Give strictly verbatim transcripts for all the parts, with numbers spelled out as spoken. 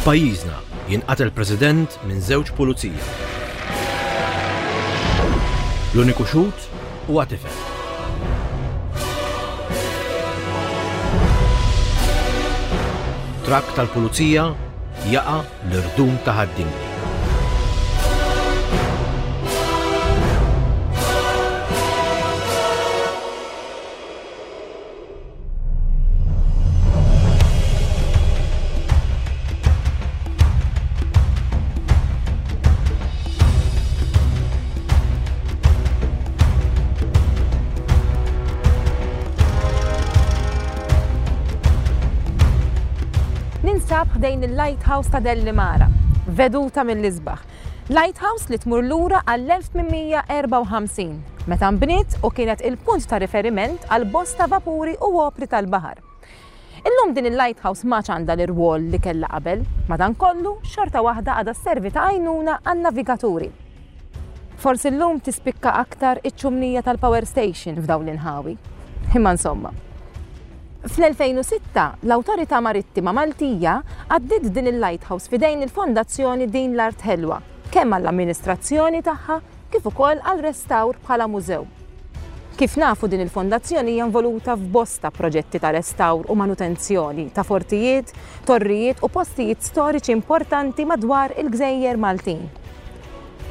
F'pajjiżna jinqatel president minn żewġ pulizija. L-uniku xhud huwa tifel. Trakk tal-pulizija jaqa' l-irdum ta' Ħad-Dingli. Ninsab ħdejn il-Lighthouse ta' Dellimara, veduta mill-isbaħ. Lighthouse li tmur lura għall-elf tmien mija erbgħa u ħamsin, meta nbniet u kienet il-punt ta' riferiment għal bosta vapuri u opri tal-baħar. Illum din il-lighthouse ma għandha l-irwol li kellha qabel, madankollu xorta waħda għadha sservi ta' għajnuna għan-navigaturi. Forsi llum tispikka aktar iċ-ċumnija tal-power station f'dawn l-inħawi. Imma insomma. Fl-elfejn u sitta l-Awtorità Marittima Maltija għaddiet din il-lighthouse f'idejn il-Fondazzjoni Din l-Art Ħelwa, kemm għall-amministrazzjoni tagħha kif ukoll għal restawr bħala mużew. Kif nafu, din il-fondazzjoni hija involuta f'bosta proġetti ta' restawr u manutenzjoni ta' fortijiet, torrijiet u postijiet storiċi importanti madwar il-gżejjer Maltin.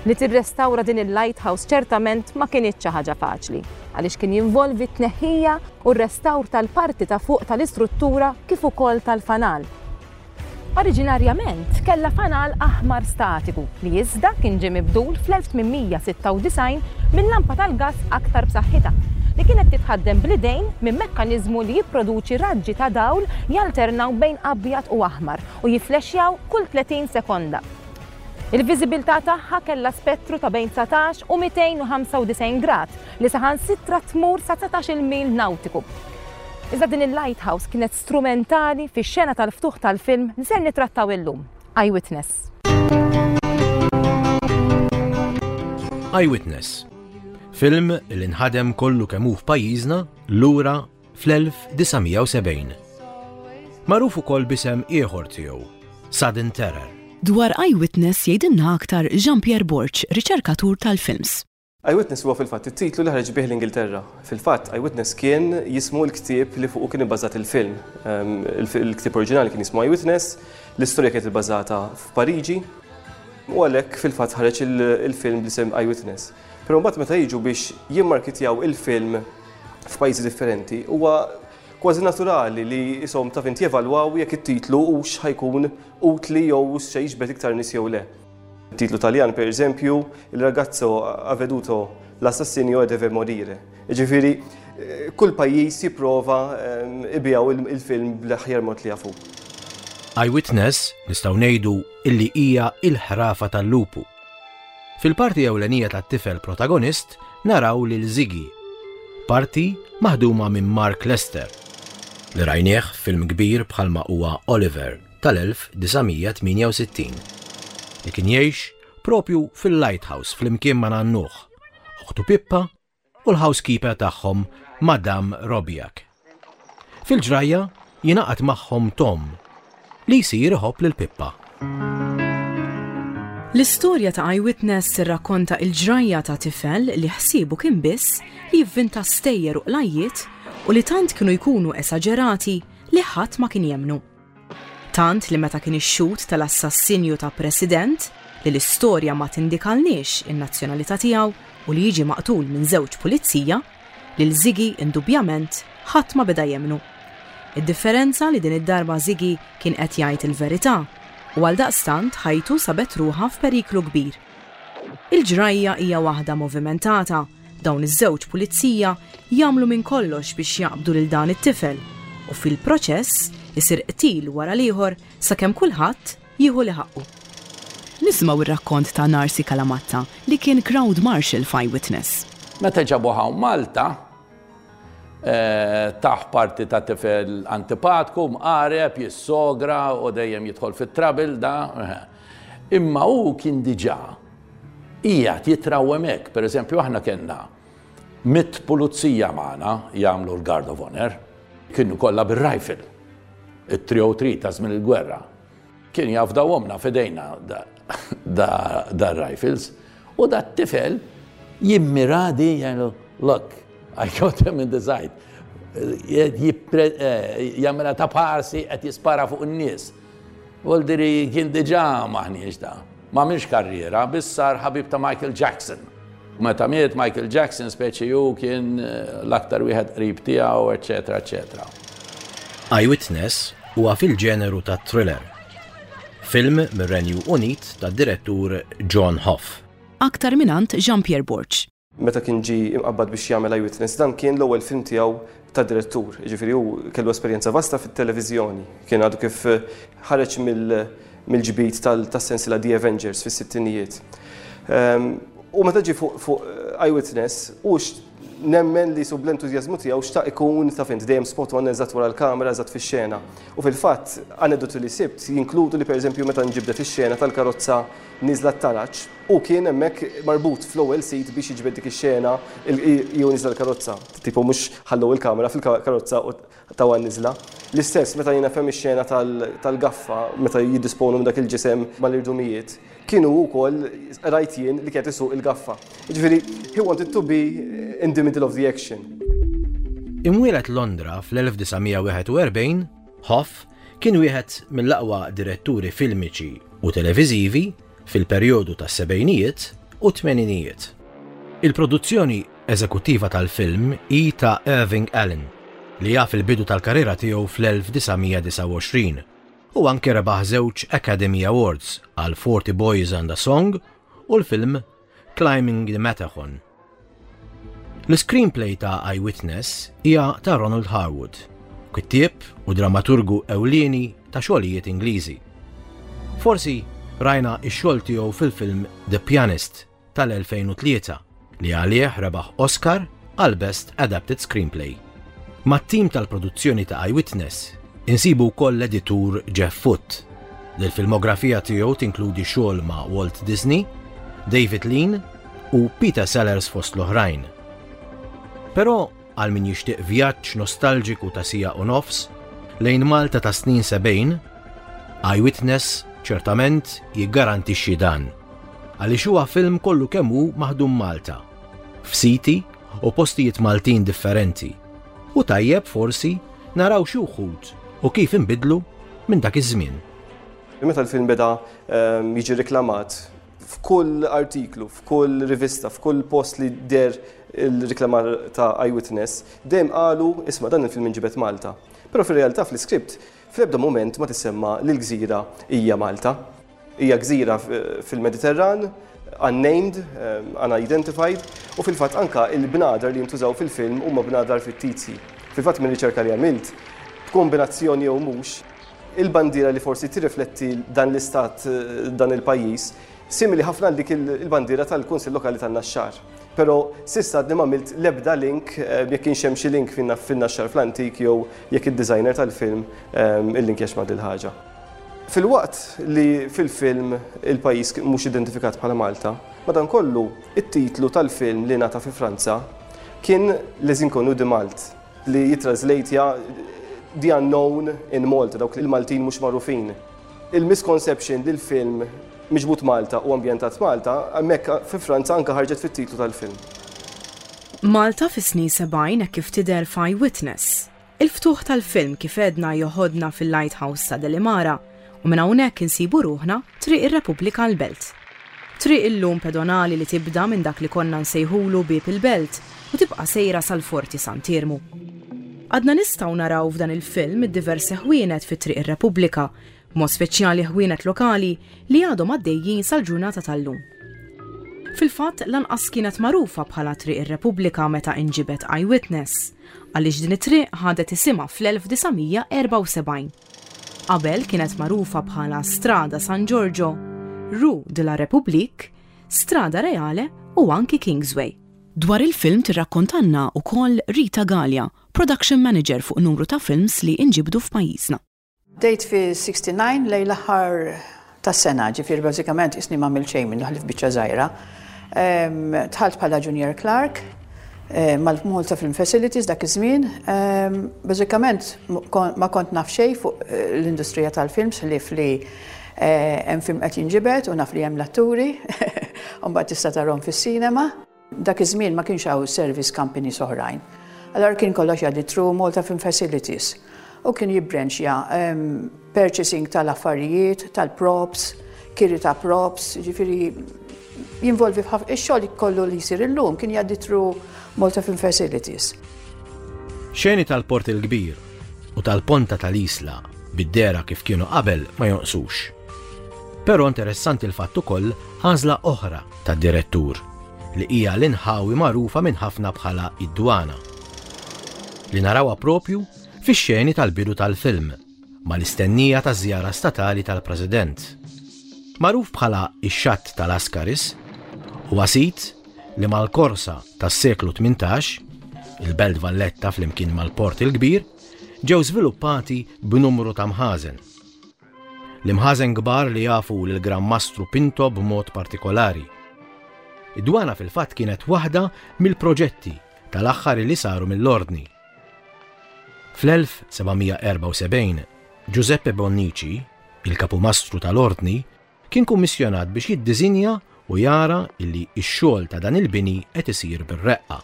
Li tirrestawra din il-lighthouse ċertament ma kinitx xi ħaġa faċli, għaliex kien jinvolvi t-tneħħija u r-restawr tal-parti ta' fuq tal-istruttura kif ukoll tal-fanal. Oriġinarjament kellha fanal aħmar statiku li iżda kien ġie mibdul fl-elf tmien mija sitta u disgħin minn lampa tal-gas aktar b'saħħitha li kienet titħaddem bl-idejn minn mekkaniżmu li jipproduċi raġġi ta' dawl jalternaw bejn abjad u aħmar u jiflexjaw kull tletin sekonda. Il-viżibilità tagħha kellha spettru ta' bejn dsatax u mitejn u ħamsa u disgħin grad li saħansitra tmur sa dsatax-il mil nautiku. Iżda din il-lighthouse kienet strumentali fix-xena tal-ftuħ tal-film li ser nitrattaw illum, Eyewitness. Eyewitness. Film li nħadem kollu kemm hu f'pajjiżna lura fl-elf disa' mija u sebgħin. Magħruf ukoll b'isem ieħor tiegħu, Sudden Terror. Dwar Eyewitness jgħidilna aktar Jean-Pierre Borg, riċerkatur tal-films. Eyewitness huwa fil-fatt it-titlu li ħareġ bih l-Ingilterra. Fil-fatt, Eyewitness kien jismu l-ktieb li fuqu kien ibbażat il-film. Ehm, il-ktieb oriġinali kien jismu Eyewitness, l-istorja kienet ibbażata f'Pariġi, u għalhekk fil-fatt ħareġ il-film bl-isem Eyewitness. Però mbagħad meta jiġu biex jimmarkitjaw il-film f'pajjiżi differenti, huwa kważi naturali li jisom taf inti jevalwaw jekk it-titlu hux ħa jkun utli jew se jiġbed iktar nies jew le. Titlu Taljan, per eżempju, "Il ragazzo ha veduto l'assassinio e deve morire". Ġifieri, kull pajjiż jipprova ibigħu il-film bl-aħjar mod li jafu. Eyewitness nistgħu ngħidu illi hija il-ħrafa tal-lupu. Fil-parti ewlenija tat-tifel protagonist naraw lil Ziggy, parti maħduma minn Mark Lester, li rajnieh film kbir bħalma huwa Oliver tal-elf disa' mija tmienja u sittin, li kien jgħix propju fil-lighthouse flimkien ma' nannuh, uħtu Pippa u l-housekeeper tagħhom, Madame Robiak. Fil-ġrajja jingħaqad magħhom Tom li jsir iħobb lil Pippa. L-istorja ta' Eyewitness tirrakkonta il-ġrajja ta' tifel li ħsiebu kien biss li jivvinta stejjer u qlajjiet u li tant kienu jkunu esaġerati li ħadd ma kien jemnu. Tant li meta kien ix-xhud tal-assassinju ta' president li l-istorja ma tindikalniex in-nazzjonalità tiegħu u li jiġi maqtul minn żewġ pulizija, lil Ziggy indubjament ħadd ma beda jemnu. Id-differenza li din id-darba Ziggy kien qed jgħid il-verità u għal daqstant ħajtu sabet ruħha f'periklu kbir. Il-ġrajja hija waħda movimentata, dawn iż-żewġ pulizija jagħmlu minn kollox biex jaqbdu lil dan it-tifel u fil-proċess isir qtil wara l-ieħor sakemm kulħadd jieħu li ħaqqu. Nismaw ir-rakkont ta' Narsi Kalamatta li kien crowd marshal f'Eyewitness. Meta ġabu hawn Malta, eh, tah parti ta' tifel antipatku, mqareb, jissogra u dejjem jidħol fit-trouble da. eh. Imma hu kien diġà qiegħed jitrawwem hekk. Per eżempju, aħna kellna mitt pulizija magħna jagħmlu l-Guard of Honor. Kienu kollha bir-rifle. it-three oh three ta' żmien il-gwerra. Kien jafdawhomlna f'idejna da rifles. U da t-tifel jimmira di, jgħidu, "Look, I got him in the side." Jagħmilha ta' parsi qed jispara fuq in-nies. Voldiri kien diġà maħniex da. Ma minx karriera, biss sar ħabib ta' Michael Jackson. Meta miet Michael Jackson, speċi ju kien eh, l-aktar wieħed qrib tiegħu, eċetera, eċetera. Eyewitness huwa fil-ġeneru ta' thriller. Film mir-Renju Unit ta' direttur John Hough. Aktar mingħand Jean-Pierre Borg. Meta kien ġi imqabbad biex jagħmel Eyewitness, dan kien l-ewwel film tiegħu ta' direttur. Ġifieri hu kellu esperjenza vasta fit-televiżjoni. Kien għadu kif ħareġ mill-ġbid tas-sensila The Avengers fis-sittinijiet. Ehm, u meta ġi fuq Eyewitness, u nemmen li sub l-entużjażmu tiegħu xtaq ikun ta' fint dejjem spot on, eżatt wara l-kamera, eżatt fix-xena. U fil-fatt, aneddoti li sibt jinkludu li, pereżempju, meta nġibdet ix-xena tal-karozza niżla t-taraġ, u kien hemmhekk marbut fl-ewwel seat biex jiġbed dik ix-xena jew niżla l-karozza. Tipo mhux ħallew il-kamera fil-karozza u tawa niżla. L-istess meta jiena fem ix-xena tal-gaffa meta jiddisponu minn dak il-ġisem mal-irdumijiet, kienu wkoll rajt jien li kienet isuq il-gaffa. Ġifieri, he wanted to be in the middle of the action. Imwieled Londra fl-elf disa' mija wieħed u erbgħin, Hough kien wieħed mill-aqwa diretturi filmiċi u televiżivi fil-perjodu tas-sebgħinijiet u tmeninijiet. Il-produzzjoni eżekuttiva tal-film hi ta' Irving Allen, li jaf il-bidu tal-karriera tiegħu fl-elf disa' mija disgħa u għoxrin u anke rebaħ żewġ Academy Awards għal forty Boys and a Song u l-film Climbing the Matterhorn. L-screenplay ta' Eyewitness hija ta' Ronald Harwood, kittieb u dramaturgu ewlieni ta' xogħlijiet Ingliżi. Forsi rajna x-xogħol tiegħu fil-film The Pianist tal-elfejn u tlieta, li għalih rebaħ Oscar għal Best Adapted Screenplay. Mat-tim tal-produzzjoni ta' Eyewitness insibu wkoll l-editur Jeff Foote, li l-filmografija tiegħu tinkludi xogħol ma' Walt Disney, David Lean u Peter Sellers fost l-oħrajn. Però għal min jixtieq vjaġġ nostalġiku ta' siegħa u nofs lejn Malta ta' snin sebgħin, Eyewitness ċertament jiggarantixxi dan. Għaliex huwa film kollu kemm hu maħdum Malta, f'siti u postijiet Maltin differenti. U tajjeb forsi naraw xi wħud u kif inbidlu minn dak iż-żmien. Meta l-film beda ehm, jiġi reklamat f'kull artiklu, f'kull rivista, f'kull post li der il-reklamar ta' Eyewitness, dejjem qalu, "Isma', dan il-film inġibet Malta." Però fir-realtà fl-iskript fl-ebda moment ma tissemma li l-gżira hija Malta. Hija gżira fil-Mediterran, unnamed, um, unidentified, u fil-fatt anka il-bnadar li jintużaw fil-film huma bnadar fittizji. Fil-fatt, minn riċerka li għamilt, b'kombinazzjoni jew mhux, il-bandiera li forsi tirrifletti dan l-istat, dan il-pajjiż, simili ħafna dik il-bandiera tal-Kunsill Lokali tan-Naxxar. Però s'issa għadni m'għamilt l-ebda link eh, jekk kienx hemm xi link fin-Naxxar fl-antik jew jekk id-designer tal-film eh, il-link ma' dil-ħaġa. Filwaqt li fil-film il-pajjiż mhux identifikat bħala Malta, madankollu it-titlu tal-film li ngħata fi Franza kien Les Inconnus de Malte, li jitranslate The Unknown in Malta, dawk il-Maltin mhux magħrufin. Il-misconception li l-film miġbut Malta u ambjentat Malta, hemmhekk fi Franza anka ħarġet fit-titlu tal-film. Malta fis-snin sebgħin kif tidher f'Eyewitness. Il-ftuħ tal-film, kif għedna, joħodna fil-Lighthouse ta' Delimara u minn hawnhekk insibu ruħna Triq ir-Repubblika l-Belt. Triq illum pedonali li tibda minn dak li konna nsejħulu Bieb il-Belt u tibqa' sejra sal-Forti Sant'Iermu. Għadna nistgħu naraw f'dan il-film id-diversi ħwienet fi Triq ir-Repubblika, mod speċjali ħwienet lokali li għadhom għaddejjin sal-ġurnata tal-lum. Fil-fatt, lanqas kienet magħrufa bħala Triq ir-Repubblika meta inġibet Eyewitness, għaliex din it-triq ħadet isimha fl-elf disa' mija erbgħa u sebgħin. Qabel kienet magħrufa bħala Strada San Giorgio, Rue de la République, Strada Reale u anki Kingsway. Dwar il-film tirrakkontanna ukoll Rita Gallia, production manager fuq numru ta' films li inġibdu f'pajjiżna. Bdejt fi disgħa u sittin lejn l-aħħar tas-sena, ġifieri bażikament isni ma xejn minn ħlief biċċa żgħira. Dħalt bħala junior clerk, eh, mal-Malta Film Facilities dak iż-żmien. Ehm, bażikament ma kont naf xejn fuq eh, l-industrija tal-films li fli eh, hemm film qed jinġibed u naf li hemm l-atturi, u mbagħad tista' tarhom fis-sinema. Dak iż-żmien ma kienx hawn service companies oħrajn. Allora kien kollox jgħaddi through Malta Film Facilities. U kien jibbranchja ehm, purchasing tal-affarijiet, tal-props, kiri ta' props, ġifieri jinvolvi ix-xogħol kollu li jsir illum kien jgħaddi through Malta Film Facilities. Xeni tal-Port il-Kbir u tal-Ponta tal-Isla bid-dehra kif kienu qabel ma jonqsux. Però interessanti l-fatt ukoll għażla oħra tad-direttur li hija l-inħawi magħrufa minn ħafna bħala id-dwana. Li narawha propju fix-xeni tal-bidu tal-film mal-istennija ta' żjara statali tal-President. Magħruf bħala ix-xatt tal-Askaris, huwa sit li mal-korsa tas-seklu tmintax, il-Belt Valletta flimkien mal-Port il-Kbir, ġew żviluppati b'numru ta' mħażen. L-imħażen kbar li jafu lil Gran Mastru Pinto b'mod partikolari. Id-dwana fil-fatt kienet waħda mill-proġetti tal-aħħar li saru mill-Ordni. Fl-elf seba' mija erbgħa u sebgħin, Giuseppe Bonnici, il-kapumastru tal-Ordni, kien kummissjonat biex jiddisinja u jara illi x-xogħol ta' dan il-bini qed isir bir-reqqa.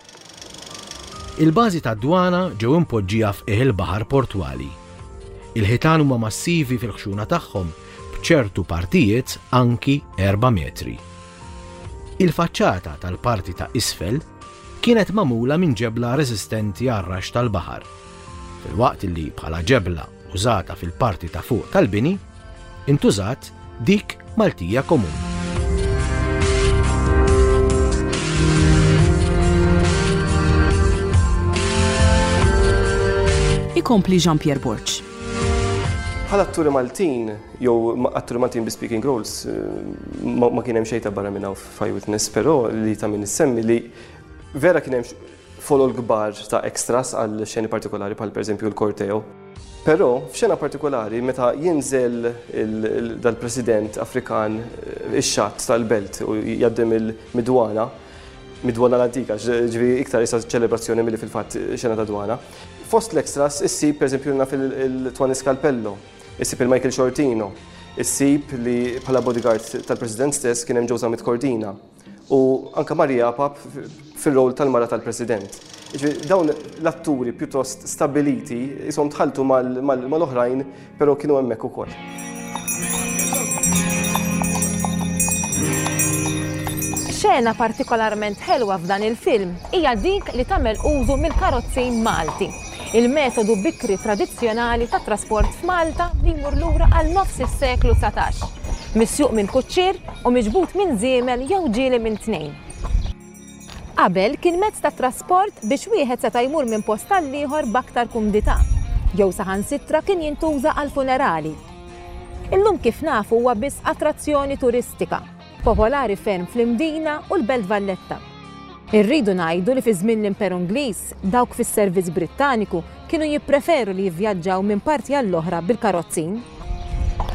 Il-bażi tad-dwana ġew impoġġija f'qiegħ il-baħar portwali. Il-ħitan huma massivi fil-ħxuna tagħhom b'ċertu partijiet anki erba' metri. Il-faċċata tal-parti ta' isfel kienet magħmula minn ġebla reżistenti għar-rax tal-baħar, filwaqt li bħala ġebla użata fil-parti ta' fuq tal-bini intużat dik Maltija komuni. Ikompli Jean-Pierre Borg. Bħala atturi Maltin, jew atturi Maltin bi speaking roles, ma, ma kien hemm xejn ta' barra minn hawn f'Eyewitness, però li ta' min issemmi li vera kien hemm folol kbar ta' extras għal xeni partikolari bħal pereżempju l-korteo. Però f'xena partikolari meta jinżel il-, il-, dal-president Afrikan ix-xatt tal-belt u jgħaddim il-midwana, midwana l-antika, ġifieri iktar issa ċelebrazzjoni milli fil-fatt xena ta' dwana. Fost l-extras issib pereżempju naf il-Tony Scalpello, issib il-Michael Sciortino, issib li bħala bodyguard tal-president stess kien hemm Joe Zammit Cordina u anka Maria Pap fil-rol tal-mara tal-president. Ġifieri dawn l-atturi pjuttost stabiliti isom tħaltu mal-, mal-, mal-oħrajn, però kienu hemmhekk ukoll. Xena partikolarment ħelwa f'dan il-film hija dik li tagħmel użu mill-karozzin Malti, il-metodu bikri tradizzjonali ta' trasport f'Malta li jmur lura għal nofs is-seklu dsatax, misjuq minn kuċċier u miġbud minn żiemel jew ġieli minn tnejn. Qabel kien mezz ta' trasport biex wieħed seta' jmur minn post għal ieħor b'aktar kumdità, jew saħansitra kien jintuża għal funerali. Illum kif nafu huwa biss attrazzjoni turistika, popolari ferm fl-Imdina u l-Belt Valletta. Irridu ngħidu li fi żmien l-Imperu Ingliż, dawk fis-servizz Brittaniku kienu jippreferu li jivvjaġġaw minn parti għall-oħra bil-karozzin.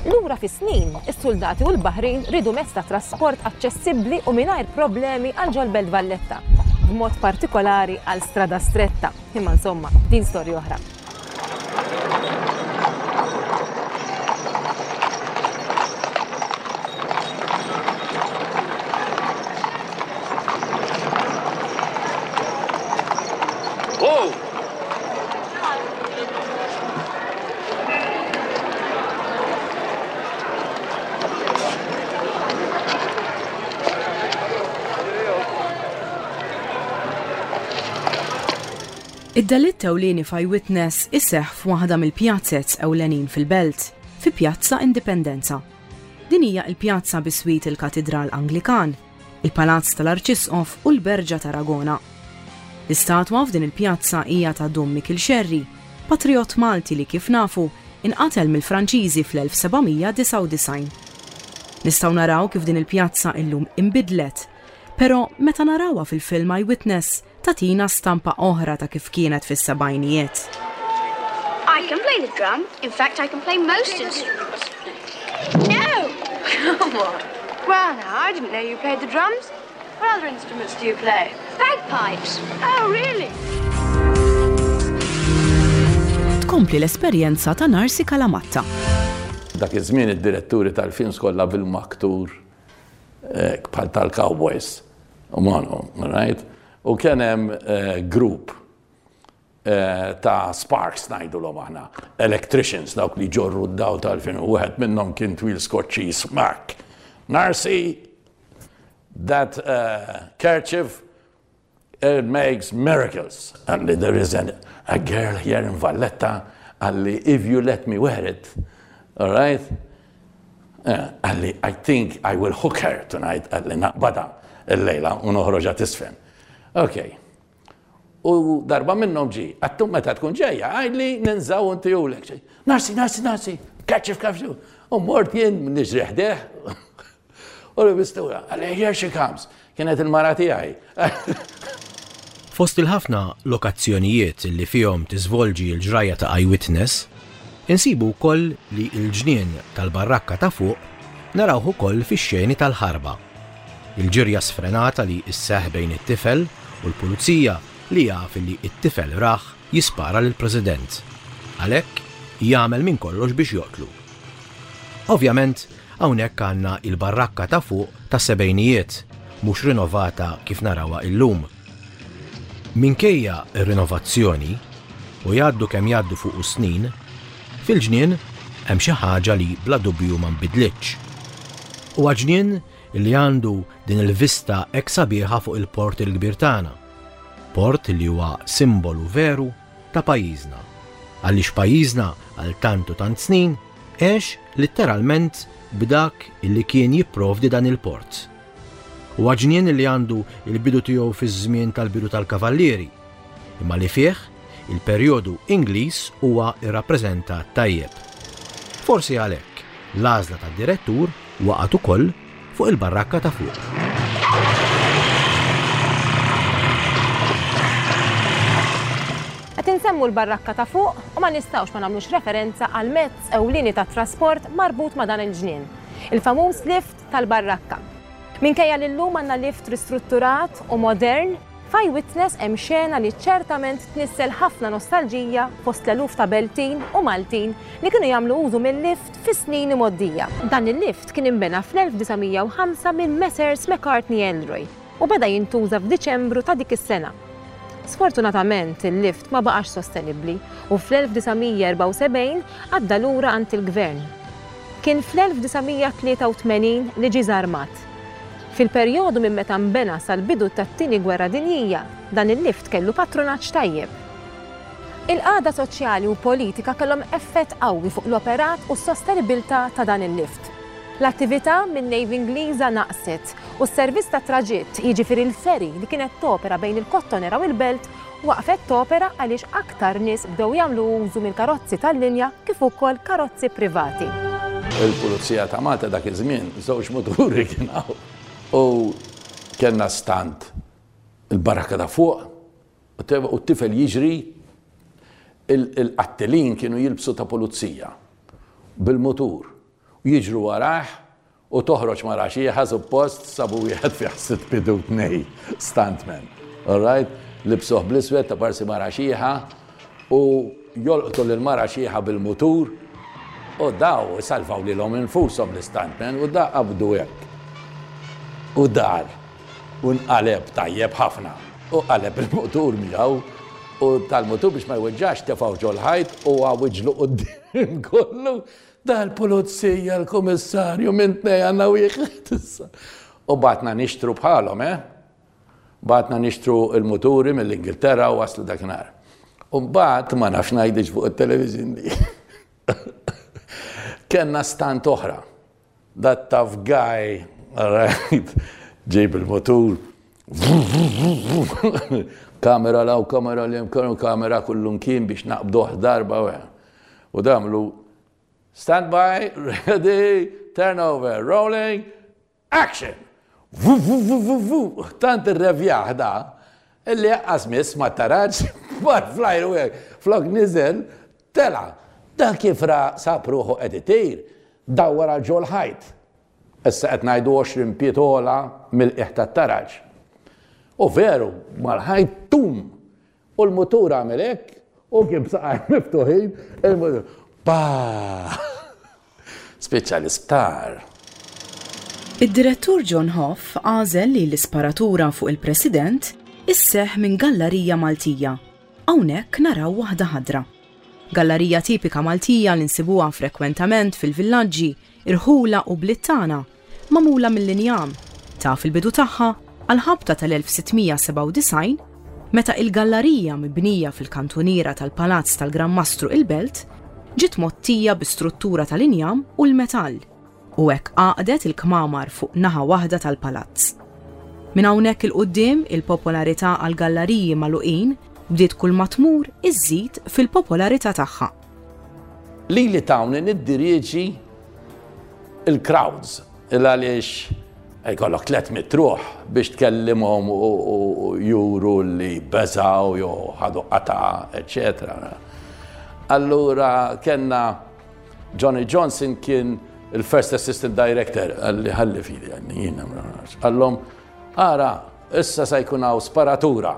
Lura fi snin, is-soldati u l-Baħrin ridu mezz ta' trasport aċċessibbli u mingħajr problemi għal ġol Belt Valletta, b'mod partikolari għal Strada Stretta. Imma insomma, din storja oħra. Id-delitt ewlieni f'Eyewitness iseħħ f'waħda mill-pjazzez ewlenin fil-belt, fi Pjazza Indipendenza. Din hija l-pjazza biswit il-Katidral Anglikan, il-Palazz tal-Arċisqof u l-Berġa Tarragona. L-istatwa f'din il-pjazza hija ta' Dom Mikiel Xerri, patriot Malti li kif nafu inqatel mill-Franċiżi fl-elf seba' mija disgħa u disgħin. Nistgħu naraw kif din il-pjazza illum inbidlet, però meta narawha fil-film Eyewitness tatina stampa oħra ta' kif kienet fis-sebgħinijiet. I can play the drum. In fact, I can play most instruments. No! Come on. Well, now, I didn't know you played the drums. What other instruments do you play? Bagpipes. Oh, really? Tkompli l-esperjenza ta' Narsi Kalamatta. Dak iż-żmien id-diretturi tal-films kollha bil-maktur eh, bħal tal-cowboys. U manu, right? U kien hemm eh, grupp eh, ta' sparks ngħidulhom aħna, electricians dawk li ġorru d-dawl tal-film, u wieħed minnhom kien twil skoċċiż Mark. Narsi, that uh, kerchief it makes miracles. And there is an, a girl here in Valletta, qalli, if you let me wear it, all right? Uh, qalli, I think I will hook her tonight, qalli, naqbadha il-lejla u noħroġha tiżfen. Okay. U darba minnhom ġi, għedtlu meta tkun ġejja, għidli ninżgħu u ntihulek. Narsi, narsi, narsi, kerchief, kerchief. U mort jien niġri ħdejh. U li bistuha, qalli, here she comes. Kienet il-mara tiegħi. Fost il-ħafna lokazzjonijiet li fihom tiżvolġi l-ġrajja ta' Eyewitness, insibu wkoll li l-ġnien tal-barrakka ta' fuq narawh ukoll fix-xeni tal-ħarba. Il-ġirja sfrenata li isseħ bejn it-tifel u l-pulizija li jaf li it-tifel rah jispara lill-President. Għalhekk jagħmel minn kollox biex joqtlu. Ovvjament, hawnhekk għandna il-barrakka ta' fuq ta' sebgħinijiet, mhux rinnovata kif narawha illum. Minkejja ir-rinnovazzjoni u jgħaddu kemm jgħaddu fuq snin, fil-ġnien hemm xi ħaġa li bla dubju ma nbidlitx. Huwa ġnien li għandu din il-vista hekk sabiħa fuq il-port il-kbir tagħna. Port li huwa simbolu veru ta' pajjiżna. Għaliex pajjiżna għal tant u tant snin għex litteralment b'dak illi kien jipprovdi dan il-port. Huwa ġnien li għandu il-bidu tiegħu fiż-żmien tal-bidu tal-Kavallieri, imma li fih il-perjodu Ingliż huwa irrappreżentat tajjeb. Forsi għalhekk l-għażla tad-direttur waqgħet ukoll fuq il-barrakka ta' fuq. Qed insemmu l-barrakka ta' fuq u ma nistgħux ma nagħmlux referenza għal mezz ewlieni ta' trasport marbut ma' dan il-ġnien, il-famuż lift tal-barrakka. Minkejja li llum għandna lift ristrutturat u modern, f'Eyewitness hemm xena li ċertament tnissel ħafna nostalġija fost l-eluf ta' Beltin u Maltin li kienu jagħmlu użu mill-lift fis-snin imgħoddija. Dan il-lift kien inbena fl-elf disa' mija u ħamsa minn Messrs McCartney Elroy u beda jintuża f'Diċembru ta' dik is-sena. Sfortunatament il-lift ma baqax sostenibbli u fl-elf disa' mija erbgħa u sebgħin għadda lura għand il-gvern. Kien fl-elf disa' mija tlieta u tmenin li ġie żarmat. Fil-perjodu minn meta nbena sal-bidu tat-tieni gwerra dinjija, dan il-lift kellu patrunaġġ tajjeb. Il-qagħda soċjali u politika kellhom effett qawwi fuq l-operat u s-sostenibilità ta' dan il-lift. L-attività minn Navy Ingliża naqset u s-servizz ta' traġitt, jiġifieri l-ferry li kienet topera bejn il-Kottonera u l-Belt, waqfet topera għaliex aktar nies bdew jagħmlu użu mill-karozzi tal-linja kif ukoll karozzi privati. Il-Pulizija ta' Malta dak iż-żmien żewġ muturi kien hawn. U kellna stand il-barrakka ta' fuq u t-tifel jiġri, il-qattelin kienu jilbsu ta' pulizija bil-mutur u jiġru warah u toħroġ mara xieħa suppost sabu wieħed fi ħsitt bidu tnej stuntman. All right? Libsuh bl-iswed ta' parsi mara xieħa u jolqtu lil mara xieħa bil-mutur u daw salvaw lilhom infushom l-stuntman u da qabdu hekk. U dar, u nqaleb tajjeb ħafna, u qaleb il-mutur miegħu, u tal-mutur biex ma jweġġax tefgħu ġol-ħajt u għawiġlu quddiem kollu. Dal-pulizija, l-kummissarju, minn tnej għandna wieħed issa. U batna nixtru bħalhom, eh? Batna nixtru il-muturi mill-Ingilterra u waslu dakinhar. U mbagħad ma nafx ngħidix fuq it-television di. Kellna stant oħra. That tough guy, all right, ġejb il-motur, kamera law, kamera li hemm, kamera kullum kien biex naqbduh darba u U damlu stand by, ready, turn over, rolling, action! Vu, vu, vu, vu, vu. Tant irrevjaħ da, illi jaqqas miss ma taraġ, mar flajru hekk, flok niżel, tela. Dan kif ra sab ruħu qed itir, dawwar għal ġol ħajt. Issa qed ngħidu għoxrin pietola mill-qiegħ tat-taraġ. U veru, mal-ħajt tum. U l-mutur għamel hekk, u kien b'saqajh miftuħin, il-mutur, pa! Spiċċa l-isptar. Id-direttur John Hough għażel li l-isparatura fuq il-President isseħ minn gallarija Maltija. Hawnhekk naraw waħda ħadra. Gallarija tipika Maltija li nsibuha frekwentament fil-villaġġi, irħula u bliet tagħna, magħmula mill-injam. Taf il-bidu tagħha għal-ħabta tal-elf sitt mija sebgħa u disgħin, meta il-gallarija mibnija fil-kantuniera tal-Palazz tal-Gran Mastru il-Belt ġiet mgħottija bi struttura tal-injam u l-metall u hekk għaqdet il-kmamar fuq naħa waħda tal-palazz. Minn hawnhekk 'il quddiem, il-popolarità għal gallariji magħluqin bdiet kull ma tmur iżżid fil-popolarità tagħha. Li li tawni niddirieġi il-crowds, il għaliex jkollok tliet mitt ruħ biex tkellimhom u juru li beżaw jew ħadu qata, eccetera. Allura kellna Johnny Johnson, kien il-first assistant director, għalli ħalli fidi, għalli jiena, għallhom, "Ara, issa sa jkun hawn sparatura,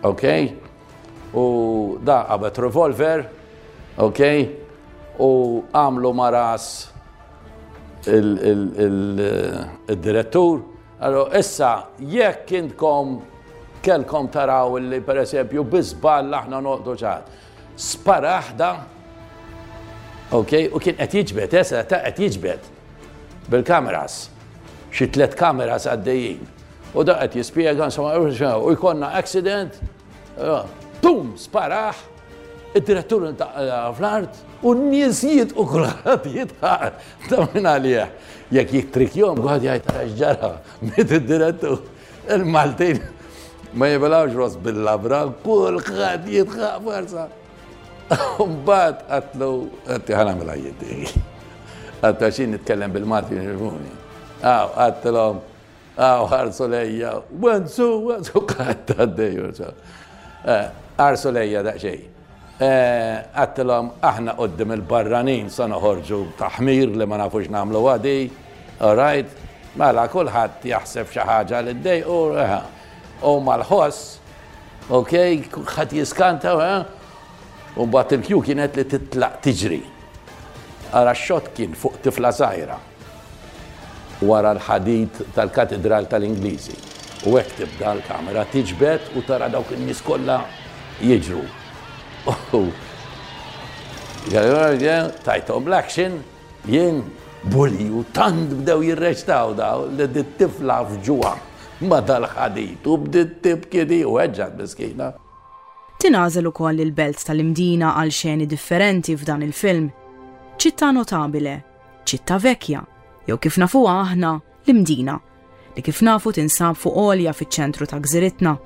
ok? U da qabad revolver, ok? U għamlu ma' ras il-direttur. Allora, issa, jekk intkom kellkom taraw li per eżempju bi żball aħna noqtlu ċat. Spara da, ok, u kien qed jiġbed, issa ta' qed jiġbed bil-kameras, xi tliet kameras għaddejjin. U da qed jispjega, insomma, u jkollna accident, pum, sparaħ, id-direttur fl-art, u n-nies u kulħadd jidħaq ta' minn għalih. Jekk jittrikjom, kulħadd jgħid, "Ara x'ġara, miet id-direttur." Il-Maltin ma jibilgħux ross bil-labra, kulħadd jidħaq forsa. Mbagħad għedtlu, għedtlu ħa nagħmilha jiddi. Għedtlu għax nitkellem bil-Malti jifhmuni. Għaw, għedtilhom, "Għaw, ħarsu lejja, wenzu, wenzu," għadd għaddej. "Ħarsu lejja daqsxejn." Għedtilhom, "Aħna quddiem il-barranin sa noħorġu taħmir li ma nafux nagħmlu għadi, all right? Mela kulħadd jaħseb xi ħaġa li ddejqu, u mal-ħoss, ok, kulħadd jiskanta, u mbagħad il-cue kienet li titlaq tiġri. Ara, x-shot kien fuq tifla żgħira wara l-ħadid tal-Katedral tal-Ingliżi. U hekk tibda l-kamera tiġbed u tara dawk in-nies kollha jiġru. Tajthom l-action, jien bully u tant bdew jirreċtaw daw li dit-tifla fġuha ma dal-ħadid u bdiet tibki di u weġġgħet miskina. Tingħażel ukoll il-belt tal-Imdina għal xeni differenti f'dan il-film. Città Notabile, Città Vecchia, jew kif nafuha aħna l-Imdina, li kif nafu tinsab fuq għolja fiċ-ċentru ta' gżiritna.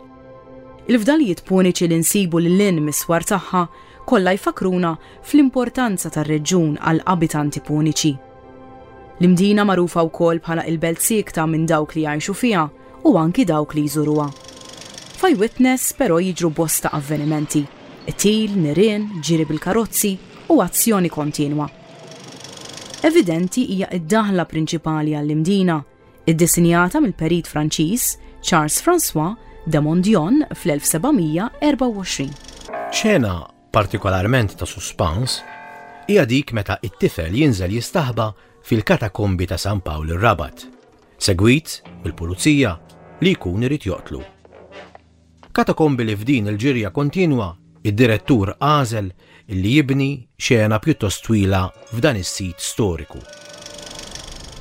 Il-fdalijiet puniċi li nsibu lil mis-swar tagħha kollha jfakruna fl-importanza tar-reġjun għal abitanti puniċi. L-Imdina magħrufa wkoll bħala il-belt siekta minn dawk li jgħixu fiha u anki dawk li jżuruha. F'Eyewitness però jiġru bosta avvenimenti, qtil, nirien, ġiri bil-karozzi u azzjoni kontinwa. Evidenti hija id-daħla prinċipali għall-Imdina, iddisinjata mill-perit Franċiż Charles François de Mondion fl-elf seba' mija erbgħa u għoxrin. Xena partikolarment ta' suspans hija dik meta it-tifel jinżel jistaħba fil-katakombi ta' San Pawl ir-Rabat, segwit mill-pulizija li jkun irid joqtlu. Katakombi li f'din il-ġirja kontinwa id-direttur għażel illi jibni xena pjuttost twila f'dan is-sit storiku.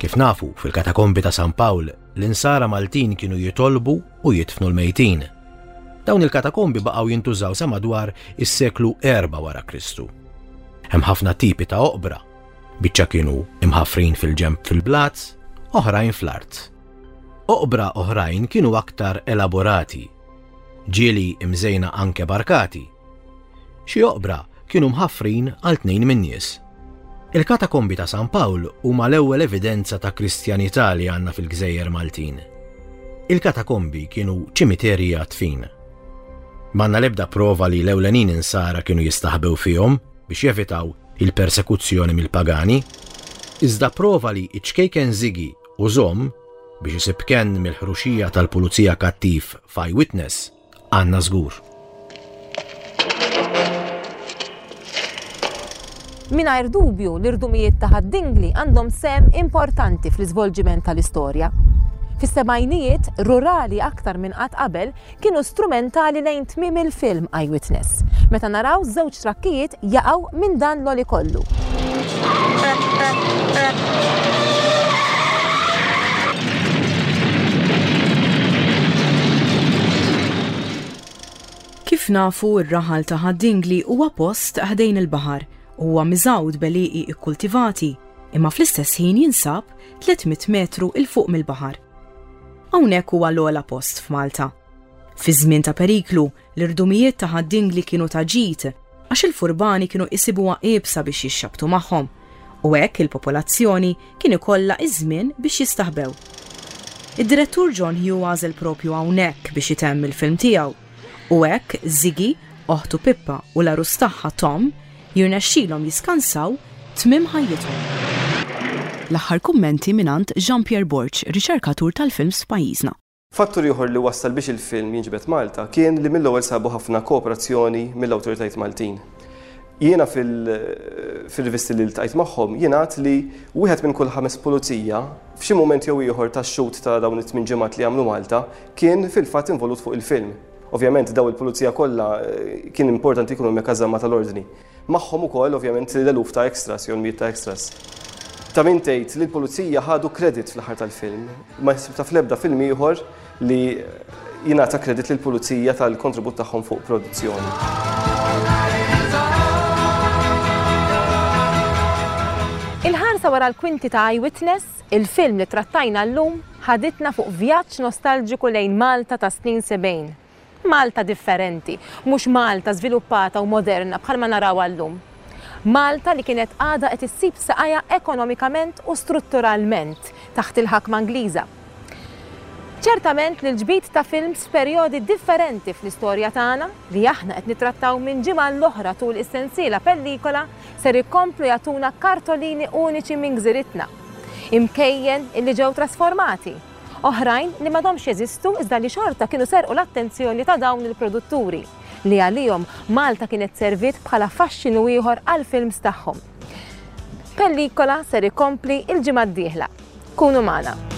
Kif nafu, fil-katakombi ta' San Pawl, l-insara Maltin kienu jitolbu u jidfnu l-mejtin. Dawn il-katakombi baqgħu jintużaw sa madwar is-seklu erba' wara Kristu. Hemm ħafna tipi ta' oqbra. Biċċa kienu imħafrin fil-ġemb fil-blat, oħrajn fl-art. Oqbra oħrajn kienu aktar elaborati, ġieli imżejna anke b'arkati. Xi oqbra kienu mħaffrin għal tnejn min-nies. Il-katakombi ta' San Pawl huma l-ewwel evidenza ta' Kristjanità li għandna fil-Gżejjer Maltin. Il-katakombi kienu ċimiterji għad-dfin. M'għandna l-ebda prova li l-ewlenin insara kienu jistaħbew fihom biex jevitaw il-persekuzzjoni mill-pagani, iżda prova li iċ-ċkejken Ziggy u Zom Biex isib kenn mill-ħruxija tal-pulizija kattiv f'Eyewitness, għandna żgur. Mingħajr dubju l-irdumijiet ta' Ħad-Dingli għandhom sehem importanti fl-iżvolġiment tal-istorja. Fis-sebgħinijiet, rurali aktar minn qatt qabel kienu strumentali lejn tmiem il-film Eyewitness, meta naraw żewġ trakkijiet jaqgħu minn dan l-għoli kollu. Kif nafu, ir-raħal ta' Ħad-Dingli huwa post ħdejn il-baħar u huwa miżgħud b'għelieqi kkultivati, imma fl-istess ħin jinsab tliet mitt metru 'il fuq mill-baħar. Hawnhekk huwa l-ogħla post f'Malta. Fi żmien ta' periklu, l-irdumijiet ta' Ħad-Dingli kienu ta' ġid għax il-furbani kienu jsibuha iebsa biex jixxabtu magħhom u hekk il-popolazzjoni kien ikollha iż-żmien biex jistaħbew. Id-direttur John Hughes għażel propju hawnhekk biex itemm il-film tiegħu u hekk Ziggy, oħtu Pippa u l-għarus tagħha Tom jirnexxilhom jiskansaw tmiem ħajjithom. L-aħħar kummenti mingħand Jean-Pierre Borg, riċerkatur tal-films f'pajjiżna. Fattur ieħor li wassal biex il-film jinġibed Malta kien li mill-ewwel sabu ħafna kooperazzjoni mill-awtoritajiet Maltin. Jiena fil-, fil-rivisti li ltqajt magħhom jingħad li wieħed minn kull ħames pulizija f'xi mument jew ieħor tax-xut ta' dawn it-tmien ġimgħat li għamlu Malta kien fil-fatt involut fuq il-film. Ovvjament daw il-pulizija kollha, eh, kien importanti jkunu hemmhekk għaż-żamma tal-ordni. Magħhom ukoll ovvjament l-eluf ta' extras jew l-mijiet ta' extras. Ta' min tgħid li l-pulizija ħadu kredit fl-aħħar tal-film. Ma jsib ta' fl-ebda film ieħor li jingħata kredit lill-pulizija tal-kontribut tagħhom fuq produzzjoni. Il-ħarsa wara l-kwinti ta' Eyewitness, il-film li trattajna llum, ħaditna fuq vjaġġ nostalġiku lejn Malta ta' snin sebgħin. Malta differenti, mhux Malta żviluppata u moderna bħalma narawha llum. Malta li kienet għadha qed issib saqajha ekonomikament u strutturalment taħt il-ħakma Ingliża. Ċertament li l-ġbid ta' films f'perjodi differenti fl-istorja tagħna li aħna qed nittrattaw minn ġimgħa l-oħra tul is-sensiela pellikola ser ikomplu jagħtuna kartolini uniċi minn gżiritna. Imkejjen illi ġew trasformati, oħrajn li m'għadhomx jeżistu iżda li xorta kienu serqu l-attenzjoni ta' dawn il-produtturi li għalihom Malta kienet servit bħala faxxinu ieħor għall-films tagħhom. Pellikola ser ikompli il-ġimgħa d-dieħla. Kunu magħna.